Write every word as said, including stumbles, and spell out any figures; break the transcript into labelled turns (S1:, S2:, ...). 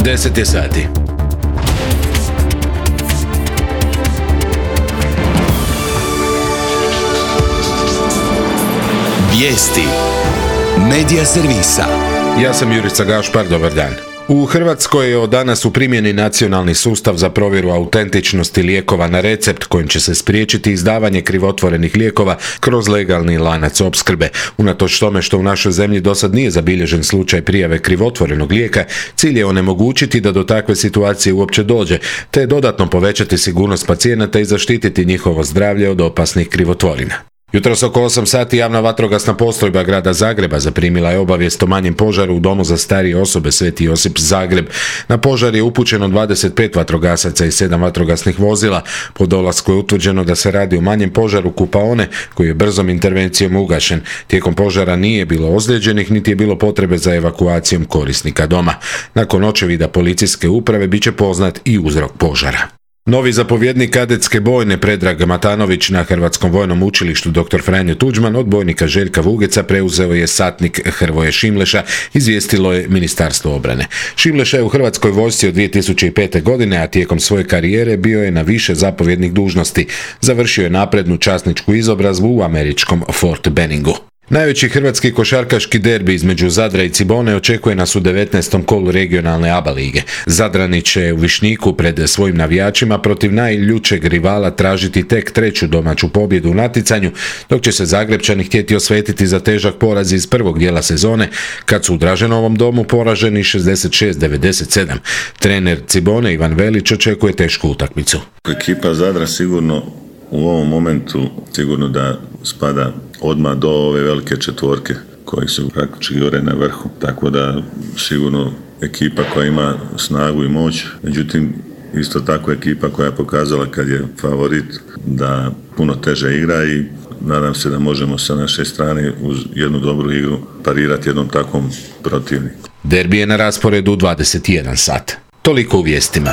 S1: deset je sati. Vijesti Medija servisa. Ja sam Jurica Gašpar, dobar dan. U Hrvatskoj je od danas u primjeni nacionalni sustav za provjeru autentičnosti lijekova na recept kojim će se spriječiti izdavanje krivotvorenih lijekova kroz legalni lanac opskrbe. Unatoč tome što u našoj zemlji dosad nije zabilježen slučaj prijave krivotvorenog lijeka, cilj je onemogućiti da do takve situacije uopće dođe, te dodatno povećati sigurnost pacijenata i zaštititi njihovo zdravlje od opasnih krivotvorina. Jutros oko osam sati javna vatrogasna postrojba grada Zagreba zaprimila je obavijest o manjem požaru u domu za starije osobe Sveti Josip Zagreb. Na požar je upućeno dvadeset pet vatrogasaca i sedam vatrogasnih vozila. Po dolasku je utvrđeno da se radi o manjem požaru kupaone koji je brzom intervencijom ugašen. Tijekom požara nije bilo ozlijeđenih niti je bilo potrebe za evakuacijom korisnika doma. Nakon očevida policijske uprave bit će poznat i uzrok požara. Novi zapovjednik kadetske bojne Predrag Matanović na Hrvatskom vojnom učilištu doktor Franjo Tuđman od bojnika Željka Vugeca preuzeo je satnik Hrvoje Šimleša, izvijestilo je Ministarstvo obrane. Šimleša je u Hrvatskoj vojsci od dvije tisuće pete. godine, a tijekom svoje karijere bio je na više zapovjednih dužnosti. Završio je naprednu časničku izobrazbu u američkom Fort Benningu. Najveći hrvatski košarkaški derbi između Zadra i Cibone očekuje nas u devetnaestom kolu regionalne A B A lige. Zadrani će u Višnjiku pred svojim navijačima protiv najljućeg rivala tražiti tek treću domaću pobjedu u natjecanju, dok će se Zagrebčani htjeti osvetiti za težak poraz iz prvog dijela sezone, kad su u Draženovom domu poraženi šezdeset šest devedeset sedam. Trener Cibone Ivan Velić očekuje tešku utakmicu.
S2: Ekipa Zadra sigurno u ovom momentu sigurno da spada odmah do ove velike četvorke koji su praktički gore na vrhu. Tako da sigurno ekipa koja ima snagu i moć, međutim isto tako ekipa koja je pokazala kad je favorit da puno teže igra i nadam se da možemo sa naše strane uz jednu dobru igru parirati jednom takvom protivniku.
S1: Derbi je na rasporedu u dvadeset jedan sat. Toliko u vijestima.